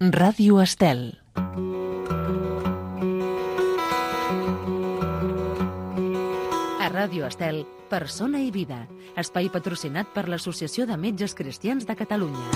Ràdio Estel. A Ràdio Estel, Persona i Vida, espai patrocinat per l'Associació de Metges Cristians de Catalunya.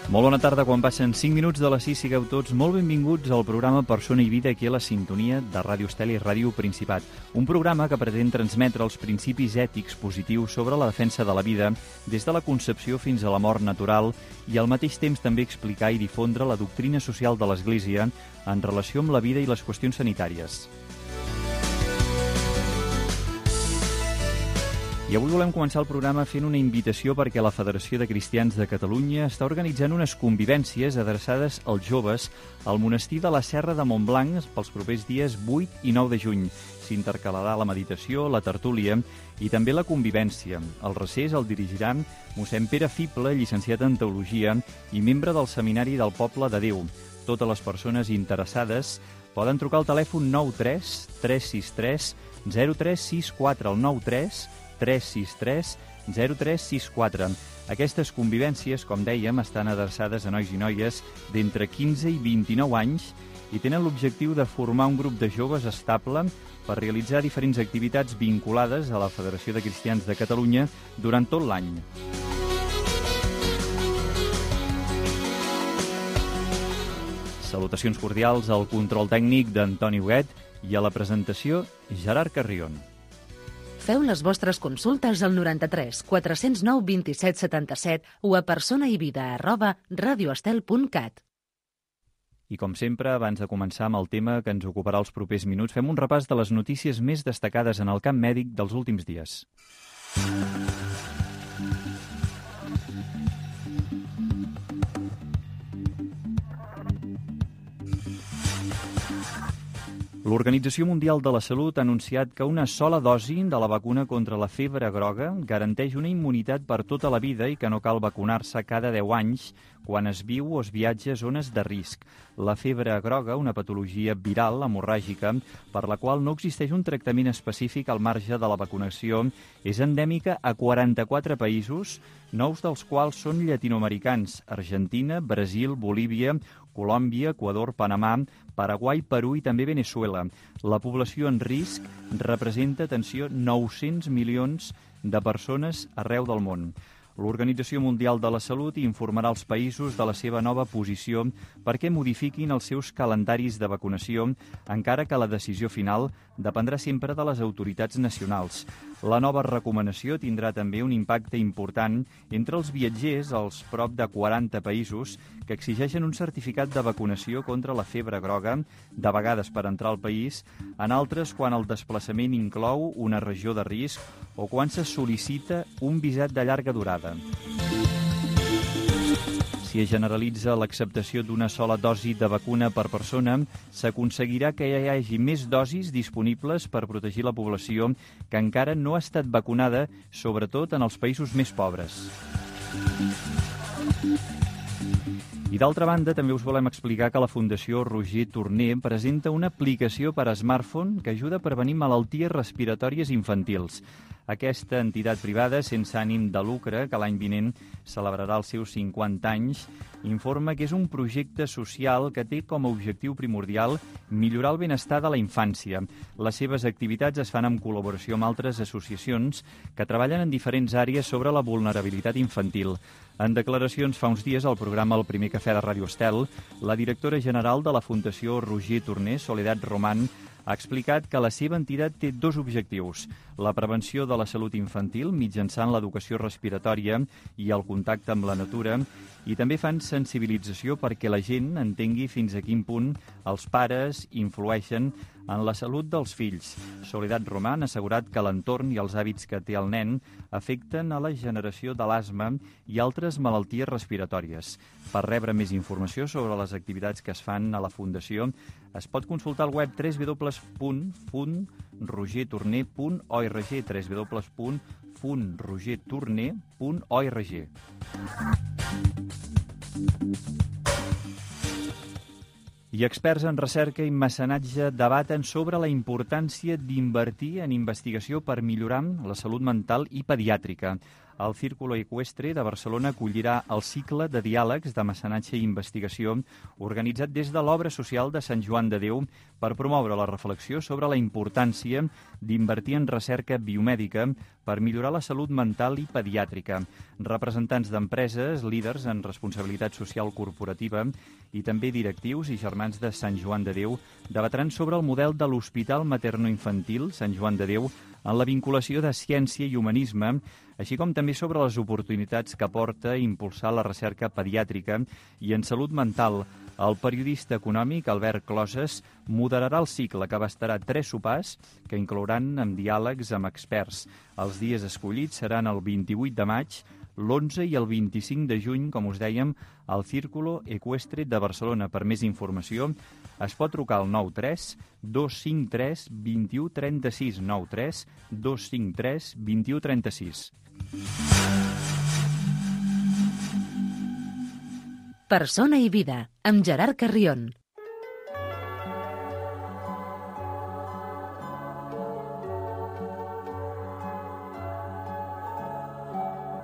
Molt bona tarda, quan passen 5 minuts de les 6, sigueu tots molt benvinguts al programa Persona i Vida aquí a la sintonia de Ràdio Estel i Ràdio Principat. Un programa que pretén transmetre els principis ètics positius sobre la defensa de la vida des de la concepció fins a la mort natural i al mateix temps també explicar i difondre la doctrina social de l'Església en relació amb la vida i les qüestions sanitàries. I avui volem començar el programa fent una invitació perquè la Federació de Cristians de Catalunya està organitzant unes convivències adreçades als joves al monestir de la Serra de Montblanc pels propers dies 8 i 9 de juny. S'intercalarà la meditació, la tertúlia i també la convivència. El recés el dirigirà mossèn Pere Fible, llicenciat en Teologia i membre del Seminari del Poble de Déu. Totes les persones interessades poden trucar al telèfon 93 363 0364 al 93 363 0364. Aquestes convivències, com dèiem, estan adreçades a nois i noies d'entre 15 i 29 anys i tenen l'objectiu de formar un grup de joves estable per realitzar diferents activitats vinculades a la Federació de Cristians de Catalunya durant tot l'any. Salutacions cordials al control tècnic d'Antoni Huguet i a la presentació Gerard Carrion. Feu les vostres consultes al 93 409 27 77 o a personaivida@radioestel.cat. I com sempre, abans de començar amb el tema que ens ocuparà els propers minuts, fem un repàs de les notícies més destacades en el camp mèdic dels últims dies. L'Organització Mundial de la Salut ha anunciat que una sola dosi de la vacuna contra la febre groga garanteix una immunitat per tota la vida i que no cal vacunar-se cada 10 anys quan es viu o es viatja a zones de risc. La febre groga, una patologia viral hemorràgica per la qual no existeix un tractament específic al marge de la vacunació, és endèmica a 44 països, 9 dels quals són llatinoamericans: Argentina, Brasil, Bolívia, Colòmbia, Equador, Panamà, Paraguai, Perú i també Veneçuela. La població en risc representa, atenció, 900 milions de persones arreu del món. L'Organització Mundial de la Salut informarà als països de la seva nova posició perquè modifiquin els seus calendaris de vacunació, encara que la decisió final dependrà sempre de les autoritats nacionals. La nova recomanació tindrà també un impacte important entre els viatgers als prop de 40 països que exigeixen un certificat de vacunació contra la febre groga, de vegades per entrar al país, en altres quan el desplaçament inclou una regió de risc o quan se sol·licita un visat de llarga durada. Si es generalitza l'acceptació d'una sola dosi de vacuna per persona, s'aconseguirà que hi hagi més dosis disponibles per protegir la població que encara no ha estat vacunada, sobretot en els països més pobres. I d'altra banda, també us volem explicar que la Fundació Roger Torner presenta una aplicació per a smartphone que ajuda a prevenir malalties respiratòries infantils. Aquesta entitat privada, sense ànim de lucre, que l'any vinent celebrarà els seus 50 anys, informa que és un projecte social que té com a objectiu primordial millorar el benestar de la infància. Les seves activitats es fan en col·laboració amb altres associacions que treballen en diferents àrees sobre la vulnerabilitat infantil. En declaracions fa uns dies al programa El primer cafè de Ràdio Estel, la directora general de la Fundació Roger Torner, Soledad Román, ha explicat que la seva entitat té 2 objectius: la prevenció de la salut infantil mitjançant l'educació respiratòria i el contacte amb la natura, i també fan sensibilització perquè la gent entengui fins a quin punt els pares influeixen en la salut dels fills. Soledad Román ha assegurat que l'entorn i els hàbits que té el nen afecten a la generació de l'asma i altres malalties respiratòries. Per rebre més informació sobre les activitats que es fan a la Fundació, es pot consultar al web www.rogertorner.org, www.rogertorner.org. I experts en recerca i mecenatge debaten sobre la importància d'invertir en investigació per millorar la salut mental i pediàtrica. El Círculo Eqüestre de Barcelona acollirà el cicle de diàlegs de mecenatge i investigació organitzat des de l'Obra Social de Sant Joan de Déu per promoure la reflexió sobre la importància d'invertir en recerca biomèdica per millorar la salut mental i pediàtrica. Representants d'empreses, líders en responsabilitat social corporativa i també directius i germans de Sant Joan de Déu debatran sobre el model de l'Hospital Materno-Infantil Sant Joan de Déu en la vinculació de ciència i humanisme, així com també sobre les oportunitats que aporta impulsar la recerca pediàtrica i en salut mental. El periodista econòmic Albert Closes moderarà el cicle, que abastarà 3 sopars que inclouran amb diàlegs amb experts. Els dies escollits seran el 28 de maig, l'11 i el 25 de juny, com us dèiem, al Círculo Eqüestre de Barcelona. Per més informació, es pot trucar al 93 253 21 36, 93 253 21 36. Persona i vida, amb Gerard Carrión.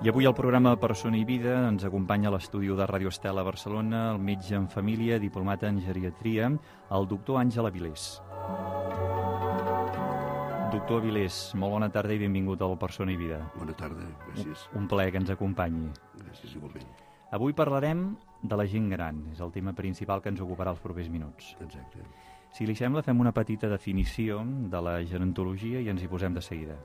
I avui al programa Persona i Vida ens acompanya a l'estudi de Ràdio Estel a Barcelona el metge en família, diplomat en geriatria, el doctor Àngel Avilés. Doctor Avilés, molt bona tarda i benvingut al Persona i Vida. Bona tarda, gràcies. Un plaer que ens acompanyi. Gràcies, igualment. Avui parlarem de la gent gran, és el tema principal que ens ocuparà els propers minuts. Exacte. Si li sembla, fem una petita definició de la gerontologia i ens hi posem de seguida.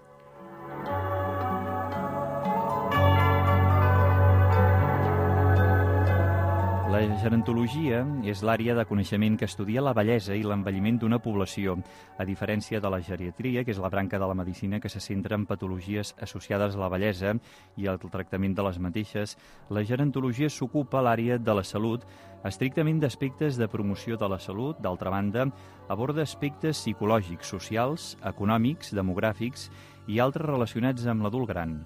La gerontologia és l'àrea de coneixement que estudia la bellesa i l'envelliment d'una població, a diferència de la geriatria, que és la branca de la medicina que se centra en patologies associades a la bellesa i al tractament de les mateixes. La gerontologia s'ocupa a l'àrea de la salut, estrictament d'aspectes de promoció de la salut. D'altra banda, aborda aspectes psicològics, socials, econòmics, demogràfics i altres relacionats amb l'adult gran.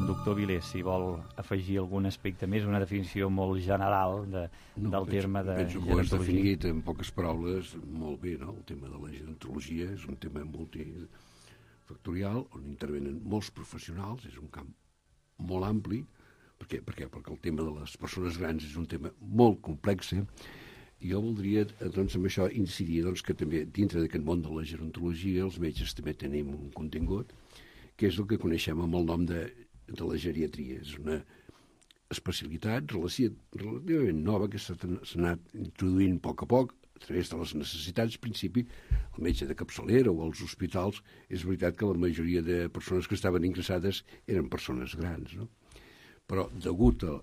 Doctor Avilés, si vol afegir algun aspecte més, una definició molt general del terme de penso que ho has definit en poques paraules molt bé, no? El tema de la gerontologia és un tema multifactorial on intervenen molts professionals, és un camp molt ampli. Per què? Perquè el tema de les persones grans és un tema molt complex. Jo voldria, doncs, amb això incidir que també dintre d'aquest món de la gerontologia els metges també tenim un contingut que és el que coneixem amb el nom de la geriatria. És una especialitat relativament nova que s'ha anat introduint a poc a través de les necessitats. Al principi, el metge de capçalera o als hospitals, és veritat que la majoria de persones que estaven ingressades eren persones grans, no? Però, degut a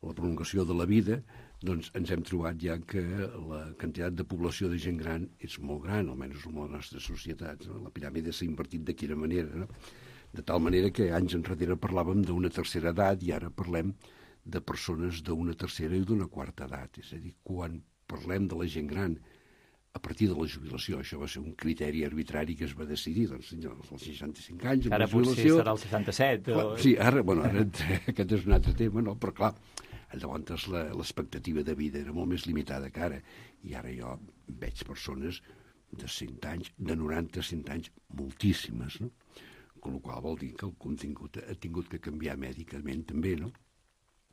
la prolongació de la vida, doncs ens hem trobat ja que la quantitat de població de gent gran és molt gran, almenys en les nostres societats, no? La piràmide s'ha invertit de quina manera, no? De tal manera que anys enrere parlàvem d'una tercera edat i ara parlem de persones d'una tercera i d'una quarta edat. És a dir, quan parlem de la gent gran a partir de la jubilació, això va ser un criteri arbitrari que es va decidir, doncs, als 65 anys... Ara potser serà el 67. O... Sí, ara aquest és un altre tema, no? Però clar, llavors l'expectativa de vida era molt més limitada que ara, i ara jo veig persones de 100 anys, de 90 a 100 anys, moltíssimes, no? Amb la qual vol dir que el contingut ha tingut que canviar mèdicament també, no?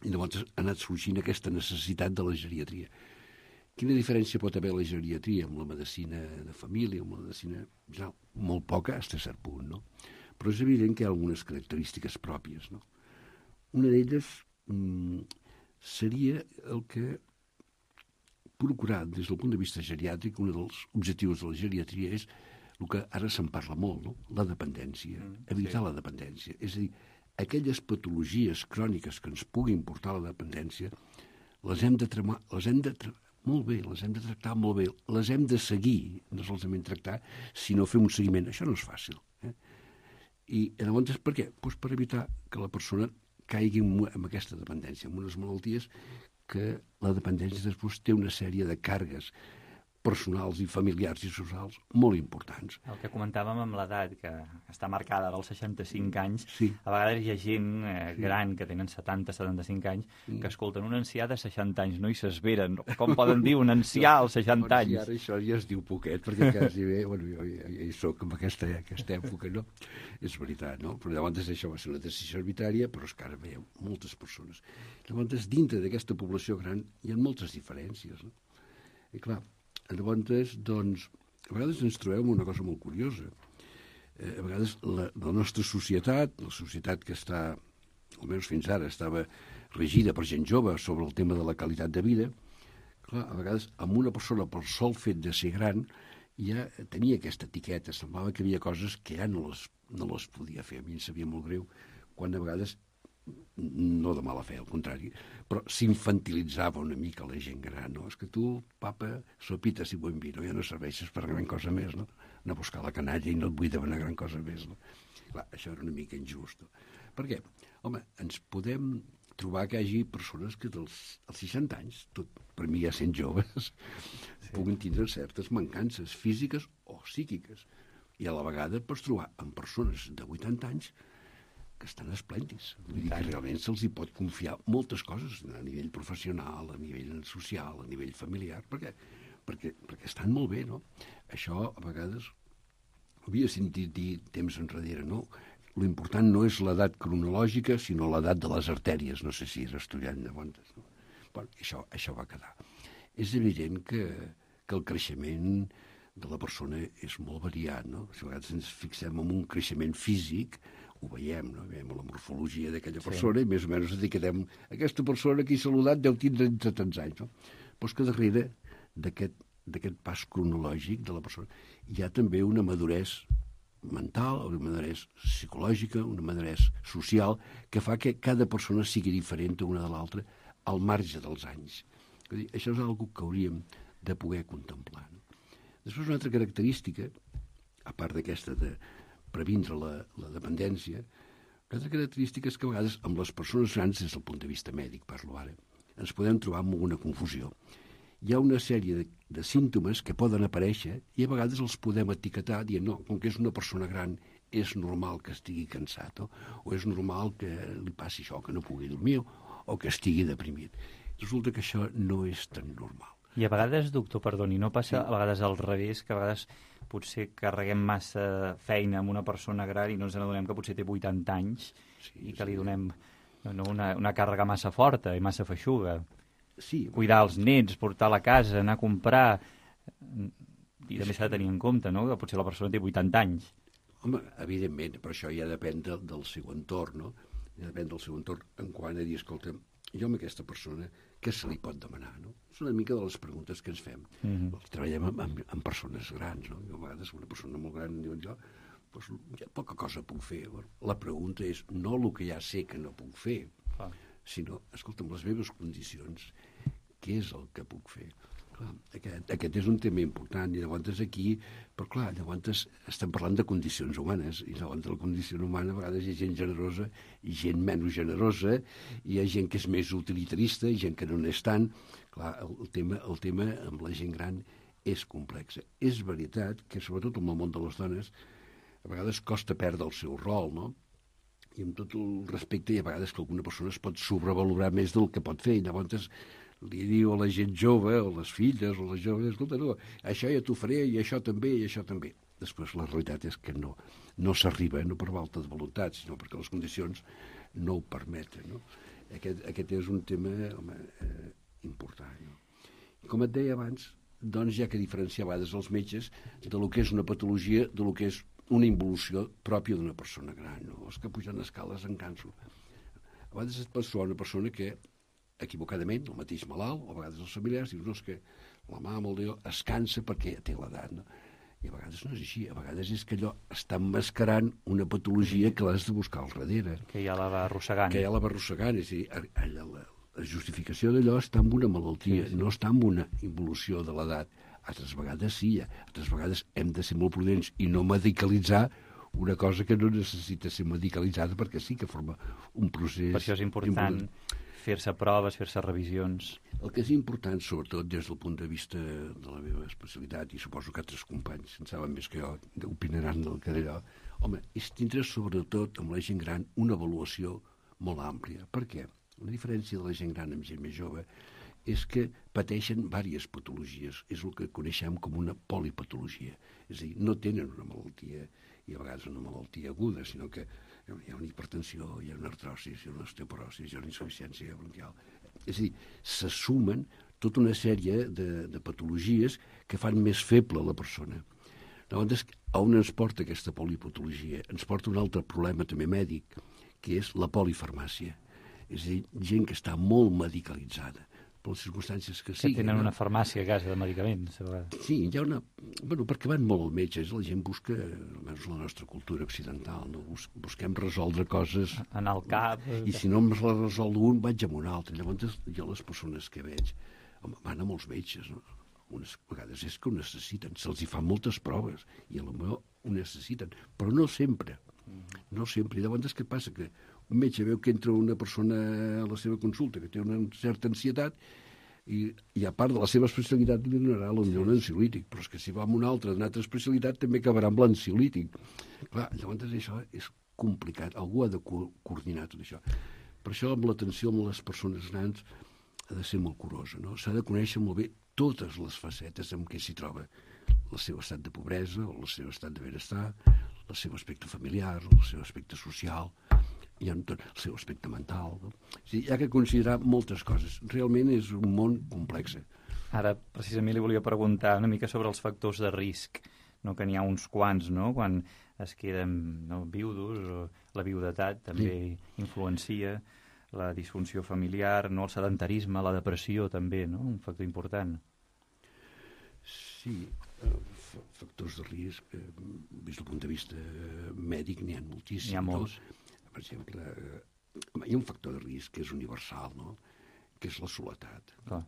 I llavors ha anat sorgint aquesta necessitat de la geriatria. Quina diferència pot haver la geriatria amb la medicina de família, amb la medicina general? Molt poca, fins a cert punt, no? Però és evident que hi ha algunes característiques pròpies, no? Una d'elles seria el que procurar, des del punt de vista geriàtric, un dels objectius de la geriatria és el que ara se'n parla molt, no? La dependència, evitar la dependència. És a dir, aquelles patologies cròniques que ens puguin portar a la dependència, les hem de tractar molt bé, les hem de seguir, no solament tractar, sinó fer un seguiment. Això no és fàcil. I llavors, per què? Doncs per evitar que la persona caigui en aquesta dependència, en unes malalties que la dependència després té una sèrie de càrregues personals i familiars i socials molt importants. El que comentàvem amb l'edat, que està marcada dels 65 anys, sí. A vegades hi ha gent gran que tenen 70-75 anys que escolten un ancià de 60 anys, no? I s'esveren. Com poden dir un ancià als 60 anys? Ara això ja es diu poquet, perquè quasi bé, bueno, jo hi soc en aquesta època, no? És veritat, no? Però llavors això va ser una decisió arbitrària, però és que ara veieu moltes persones. Llavors, dintre d'aquesta població gran hi ha moltes diferències, no? I clar, llavors, doncs, a vegades ens trobem una cosa molt curiosa. A vegades la nostra societat, la societat que està, almenys fins ara, estava regida per gent jove sobre el tema de la qualitat de vida, clar, a vegades amb una persona pel sol fet de ser gran ja tenia aquesta etiqueta, semblava que hi havia coses que ja no les podia fer. A mi em sabia molt greu quan a vegades, no de mala fe, al contrari, però s'infantilitzava una mica la gent gran, no? És que tu, papa, sopitas i buen vino, ja no serveixes per gran cosa més, no? Anar a buscar la canalla i no et vull demanar gran cosa més, no? Clar, això era una mica injust, no? Per què? Home, ens podem trobar que hi hagi persones que als 60 anys, tot per mi ja sent joves, puguin tindre certes mancances físiques o psíquiques. I a la vegada pots trobar amb persones de 80 anys que estan esplèndids. Vull dir que realment se'ls hi pot confiar moltes coses a nivell professional, a nivell social, a nivell familiar. Per què? Perquè estan molt bé, no? Això, a vegades, havia sentit dir temps enrere, no? L'important no és l'edat cronològica, sinó l'edat de les artèries. No sé si és estudiant llavors, no? Bueno, això va quedar. És evident que el creixement de la persona és molt variat, no? Si a vegades ens fixem en un creixement físic, ho veiem, no? Veiem la morfologia d'aquella persona i més o menys etiquetem aquesta persona que he saludat deu tindre entre tants anys, no? Però és que darrere d'aquest pas cronològic de la persona hi ha també una maduresa mental, una maduresa psicològica, una maduresa social, que fa que cada persona sigui diferent una de l'altra al marge dels anys. És dir, això és una cosa que hauríem de poder contemplar, no? Després, una altra característica, a part d'aquesta de previndre la dependència, una altra característica és que a vegades amb les persones grans, des del punt de vista mèdic, parlo ara, ens podem trobar amb una confusió. Hi ha una sèrie de símptomes que poden aparèixer i a vegades els podem etiquetar dient, no, com que és una persona gran, és normal que estigui cansat, o és normal que li passi això, que no pugui dormir, o que estigui deprimit. Resulta que això no és tan normal. I a vegades, doctor, perdoni, no passa a vegades al revés, que a vegades potser carreguem massa feina amb una persona gran i no ens adonem que potser té 80 anys i que li donem una càrrega massa forta i massa feixuga. Sí. Cuidar els nets, portar a la casa, anar a comprar... I també s'ha de tenir en compte, no?, que potser la persona té 80 anys. Home, evidentment, però això ja depèn del seu entorn, no? Ja depèn del seu entorn en quant a dir, escolta, jo amb aquesta persona, què se li pot demanar, no? És una mica de les preguntes que ens fem. Treballem amb persones grans, no? Jo a vegades una persona molt gran em diuen, doncs, ja poca cosa puc fer. La pregunta és no el que ja sé que no puc fer, sinó, escolta, amb les meves condicions, què és el que puc fer? Clar, aquest és un tema important, i llavors aquí, però clar, llavors estem parlant de condicions humanes, i llavors la condició humana a vegades hi ha gent generosa i gent menys generosa, i hi ha gent que és més utilitarista i gent que no n'és tant. Clar, el tema amb la gent gran és complex. És veritat que, sobretot en el món de les dones, a vegades costa perdre el seu rol, no? I amb tot el respecte, hi ha vegades que alguna persona es pot sobrevalorar més del que pot fer, i llavors li diu a la gent jove, o les filles, o les joves, escolta, no, això ja t'ho faré, i això també, i això també. Després la realitat és que no s'arriba, no per falta de voluntat, sinó perquè les condicions no ho permeten, no? Aquest és un tema, home, important, no? I com et deia abans, doncs hi ha que diferenciar a vegades els metges de lo que és una patologia, de lo que és una involució pròpia d'una persona gran, no? Els que pugen escales en canso. A vegades et pot trobar una persona que equivocadament, el mateix malalt, o a vegades els familiars, dius, no, és que la mama o el Déu es cansa perquè té l'edat, no? I a vegades no és així, a vegades és que allò està emmascarant una patologia que l'has de buscar al darrere. Que ja la va arrossegant. És a dir, la justificació d'allò està en una malaltia, no està en una involució de l'edat. Altres vegades sí, altres vegades hem de ser molt prudents i no medicalitzar una cosa que no necessita ser medicalitzada perquè sí que forma un procés... Per això és important fer-se proves, fer-se revisions. El que és important, sobretot des del punt de vista de la meva especialitat, i suposo que altres companys, en saben més que jo, opinaran del que d'allò, home, és tindre sobretot amb la gent gran una avaluació molt àmplia. Per què? Una diferència de la gent gran amb gent més jove és que pateixen diverses patologies. És el que coneixem com una polipatologia. És a dir, no tenen una malaltia, i a vegades una malaltia aguda, sinó que hi ha una hipertensió, hi ha una artrosis, hi ha una osteoporosis, hi ha una insuficiència bronquial. És a dir, se sumen tota una sèrie de patologies que fan més feble la persona. Llavors, on ens porta aquesta polipatologia? Ens porta un altre problema també mèdic, que és la polifarmàcia. És a dir, gent que està molt medicalitzada, per les circumstàncies que siguin. Que tenen una farmàcia a casa de medicaments. Sí, hi ha una... Bueno, perquè van molt al metge, la gent busca, almenys la nostra cultura occidental, no? Busquem resoldre coses... Anar al cap... I si no em la resol un, vaig a un altre. Llavors, jo les persones que veig, home, van a molts metges, no? Unes vegades és que ho necessiten, se'ls hi fan moltes proves, i potser ho necessiten, però no sempre. No sempre. I llavors què passa? Que un metge veu que entra una persona a la seva consulta que té una certa ansietat i a part de la seva especialitat li donarà potser un ansiolític, però és que si va amb un altre d'una altra especialitat també acabarà amb l'ansiolític. Clar, llavors això és complicat, algú ha de coordinar tot això. Per això amb l'atenció amb les persones grans ha de ser molt curosa, no? S'ha de conèixer molt bé totes les facetes en què s'hi troba. El seu estat de pobresa, o el seu estat de benestar, el seu aspecte familiar, el seu aspecte social, i el seu aspecte mental. No? O sigui, hi ha que considerar moltes coses. Realment és un món complex. Ara, precisament, li volia preguntar una mica sobre els factors de risc, no? Que n'hi ha uns quants, no? Quan es queden viudos, o la viudetat també influencia, la disfunció familiar, no? El sedentarisme, la depressió també, no? Un factor important. Sí, factors de risc, des del punt de vista mèdic, n'hi ha moltíssims. N'hi ha molts. Per exemple, hi ha un factor de risc que és universal, no? Que és la soledat. Clar.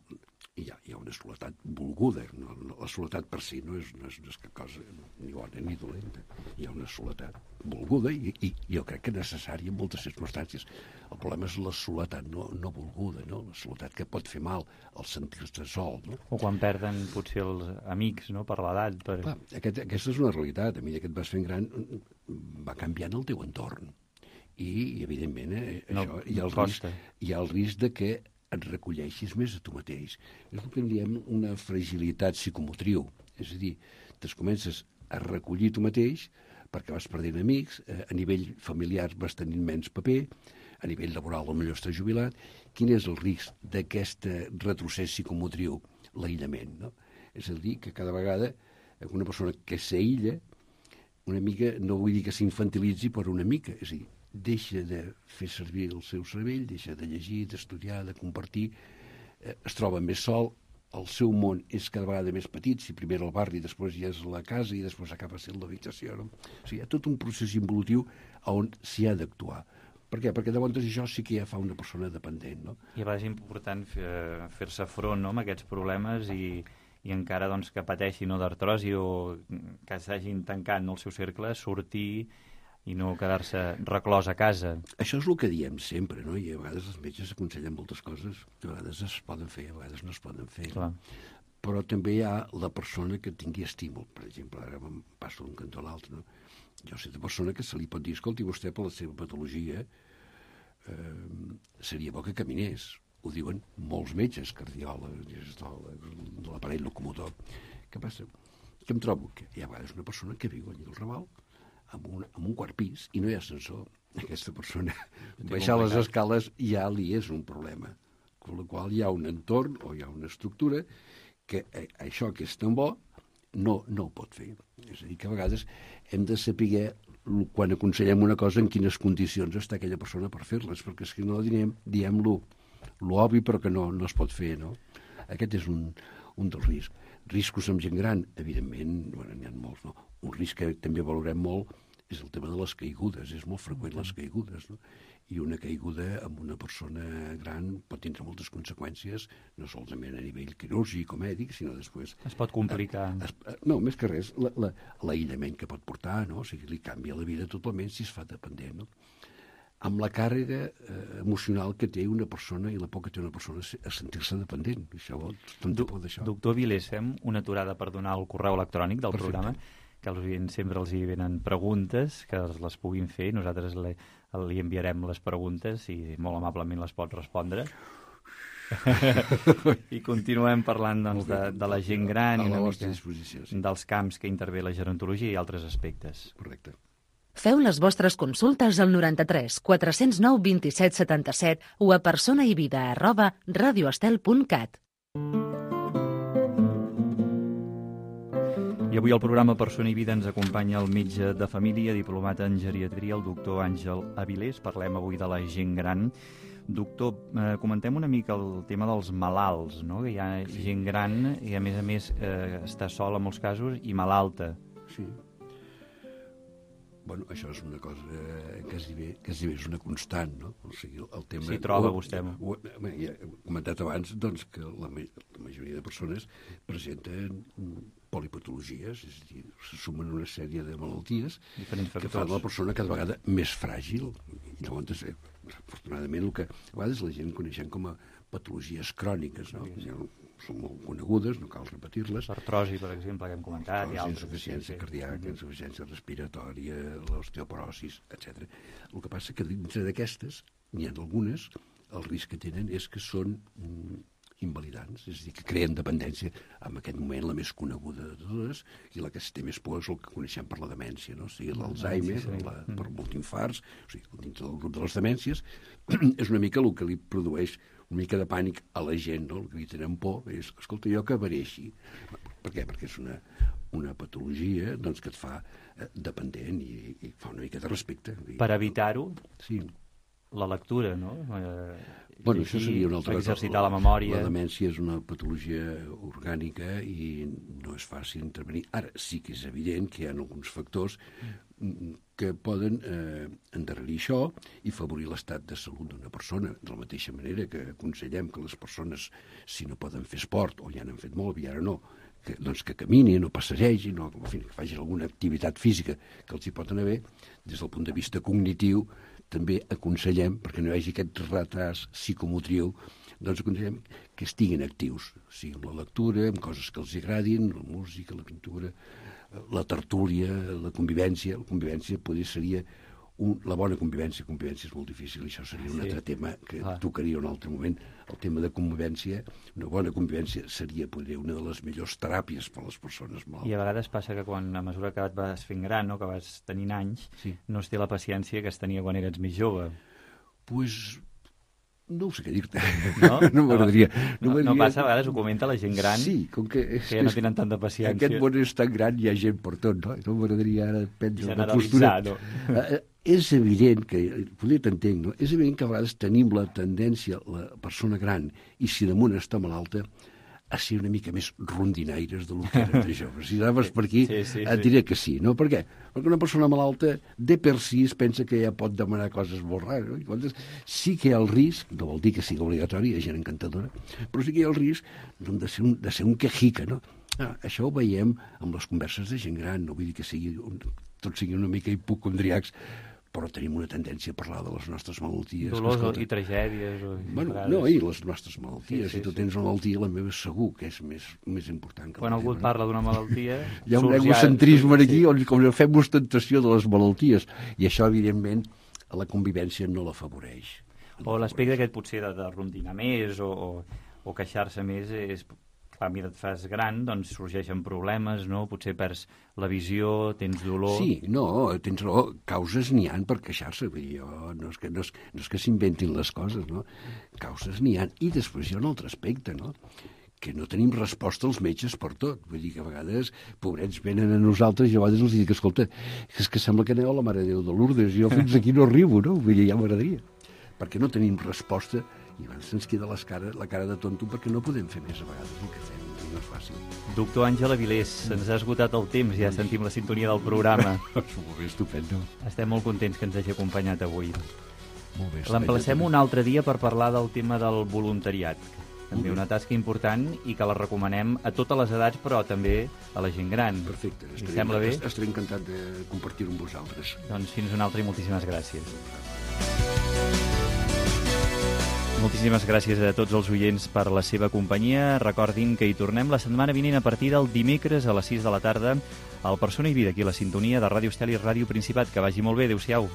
Hi ha una soledat volguda. No? La soledat per si no és cap cosa ni bona ni dolenta. Hi ha una soledat volguda i jo crec que necessària en moltes circumstàncies. El problema és la soledat no volguda, no? La soledat que pot fer mal al sentir-se sol. No? O quan perden potser els amics, no? Per l'edat. Clar, aquesta és una realitat. A mesura que et vas fent gran va canviant el teu entorn. I evidentment, això, hi ha el risc de que et recolleixis més a tu mateix. És el que en diem una fragilitat psicomotriu. És a dir, te'n comences a recollir tu mateix perquè vas perdent amics, a nivell familiar vas tenint menys paper, a nivell laboral potser estàs jubilat. Quin és el risc d'aquest retrocés psicomotriu? L'aïllament, no? És a dir, que cada vegada una persona que s'aïlla, una mica, no vull dir que s'infantilitzi, però una mica, és a dir, deixa de fer servir el seu cervell, deixa de llegir, d'estudiar, de compartir, es troba més sol, el seu món és cada vegada més petit, si primer el barri, després ja és la casa i després acaba sent l'habitació. No? O sigui, hi ha tot un procés involutiu on s'hi ha d'actuar. Per què? Perquè llavors això sí que ja fa una persona dependent. No? I a vegades és important fer-se front, no?, amb aquests problemes i encara doncs, que pateixi d'artrosi o que s'hagin tancat el seu cercle, sortir i no quedar-se reclòs a casa. Això és el que diem sempre, no? I a vegades els metges aconsellen moltes coses que a vegades es poden fer, a vegades no es poden fer. Clar. Però també hi ha la persona que tingui estímul. Per exemple, ara em passo d'un cantó a l'altre, no? Jo sé de persona que se li pot dir, escolti, vostè per la seva patologia seria bo que caminés. Ho diuen molts metges, cardiòlegs, de l'aparell locomotor. Què passa? Que em trobo que hi ha a vegades una persona que viu allà al Raval amb un quart pis i no hi ha ascensor. Aquesta persona baixar les escales ja li és un problema. Amb la qual hi ha un entorn o hi ha una estructura que això que és tan bo no ho pot fer. És a dir, que a vegades hem de saber quan aconsellem una cosa en quines condicions està aquella persona per fer-les, perquè si no diem l'obvi però que no es pot fer, no? Aquest és un dels riscs. Riscos amb gent gran, evidentment, n'hi ha molts, no? Un risc que també valorem molt és el tema de les caigudes. És molt freqüent les caigudes, no? I una caiguda amb una persona gran pot tindre moltes conseqüències, no solament a nivell quirúrgic o mèdic, sinó després... Es pot complicar. No, més que res, l'aïllament que pot portar, no? O sigui, li canvia la vida totalment si es fa dependent, no? amb la càrrega emocional que té una persona i la por que té una persona a sentir-se dependent. Això vol tanta por d'això. Doctor Vilés, fem una aturada per donar el correu electrònic del programa, que als oients sempre els hi venen preguntes, que les puguin fer, i nosaltres li enviarem les preguntes i molt amablement les pot respondre. I continuem parlant doncs, de la gent gran i una mica dels camps que intervé la gerontologia i altres aspectes. Correcte. Feu les vostres consultes al 93 409 27 77 o a personaivida@radioestel.cat. I avui al programa Persona i Vida ens acompanya el metge de família, diplomat en geriatria, el doctor Àngel Avilés. Parlem avui de la gent gran. Doctor, comentem una mica el tema dels malalts, no? Que hi ha gent gran i, a més, està sola en molts casos i malalta. Sí. Bueno, això és una cosa que és una constant, no? O sigui, el tema... S'hi troba vostè. Ja he comentat abans doncs, que la majoria de persones presenten polipatologies, és a dir, se sumen una sèrie de malalties que fan la persona cada vegada més fràgil. I llavors, afortunadament, el que a vegades la gent coneixem com a patologies cròniques, no? Són molt conegudes, no cal repetir-les. Artrosi, per exemple, que hem comentat. Insuficiència cardíaca, insuficiència respiratòria, l'osteoporosis, etc. El que passa que dintre d'aquestes, n'hi ha algunes, el risc que tenen és que són invalidants, és a dir, que creen dependència. En aquest moment, la més coneguda de totes, i la que es té més por és el que coneixem per la demència, no? O sigui, l'Alzheimer, per multinfarts, o sigui, dintre del grup de les demències, és una mica el que li produeix una mica de pànic a la gent, no? El que li tenen por és, escolta, jo acabaré així. Per què? Perquè és una patologia doncs, que et fa dependent i fa una mica de respecte. Per evitar-ho, sí, la lectura, no? Bueno, això seria una altra cosa. Exercitar la memòria. La demència és una patologia orgànica i no és fàcil intervenir. Ara, sí que és evident que hi ha alguns factors que poden endarrerir això i favorir l'estat de salut d'una persona. De la mateixa manera que aconsellem que les persones, si no poden fer esport, o ja n'han fet molt i ara no, que caminin o passegegin o en fi, que facin alguna activitat física que els hi pot anar bé, des del punt de vista cognitiu també aconsellem, perquè no hi hagi aquest retard psicomotriu, doncs aconsellem que estiguin actius, o sigui, amb la lectura, amb coses que els agradin, la música, la pintura, la tertúlia, la convivència. La convivència seria la bona convivència. Convivència és molt difícil, i això seria un altre tema que tocaria un altre moment. El tema de convivència, una bona convivència seria, podria, una de les millors teràpies per a les persones malaltes. I a vegades passa que quan, a mesura que et vas fent gran, no, que vas tenint anys, no es té la paciència que es tenia quan eres més jove. Pues no ho sé què dir-te. No? No m'agradaria. No passa, a vegades ho comenta la gent gran, sí, com que ja no tenen tanta paciència. Aquest món és tan gran, hi ha gent per tot, no? No m'agradaria ara prendre una postura. No? És evident que, potser t'entenc, no? És evident que a vegades tenim la tendència, la persona gran, i si damunt està malalta, a ser una mica més rondinaires del que eren de joves. Si anaves per aquí, et diré que sí, no? Per què? Perquè una persona malalta, de per si, es pensa que ja pot demanar coses molt rares. No? I llavors, sí que hi ha el risc, no vol dir que sigui obligatori, hi ha gent encantadora, però sí que hi ha el risc de ser un quejica, no? Això ho veiem amb les converses de gent gran, no vull dir que tots siguin una mica hipocondriacs, però tenim una tendència a parlar de les nostres malalties. Dolors i tragèdies. No, i les nostres malalties. Si tu tens una malaltia, la meva segur que és més important que quan algú parla d'una malaltia... Hi ha un egocentrisme aquí on fem ostentació de les malalties, i això, evidentment, a la convivència no l'afavoreix. O l'aspecte aquest potser de rondinar més o queixar-se més és... a mi et fas gran, doncs sorgeixen problemes, no? Potser perds la visió, tens dolor... Sí, no, tens raó, causes n'hi ha per queixar-se, no és que s'inventin les coses, no? Causes n'hi ha. I després hi ha un altre aspecte, no? Que no tenim resposta als metges per tot. Vull dir que a vegades, pobrets, venen a nosaltres i a vegades els dic, escolta, és que sembla que aneu a la Mare de Déu de Lourdes, jo fins aquí no arribo, no? Vull dir, ja m'agradaria. Perquè no tenim resposta i se'ns queda la cara de tonto perquè no podem fer més a vegades el que fem, no és fàcil. Doctor Àngel Avilés, se'ns ha esgotat el temps, ja sentim la sintonia del programa. Molt bé, estupendo. Estem molt contents que ens hagi acompanyat avui. Molt bé. L'emplacem un altre dia per parlar del tema del voluntariat, també una tasca important i que la recomanem a totes les edats, però també a la gent gran. Perfecte. Sembla bé? Estaré encantat de compartir-ho amb vosaltres. Doncs fins una altra i moltíssimes gràcies. Moltíssimes gràcies a tots els oients per la seva companyia. Recordin que hi tornem la setmana vinent a partir del dimecres a les 6 de la tarda al Persona i Vida, aquí a la sintonia de Ràdio Estel i Ràdio Principat. Que vagi molt bé. Adéu-siau.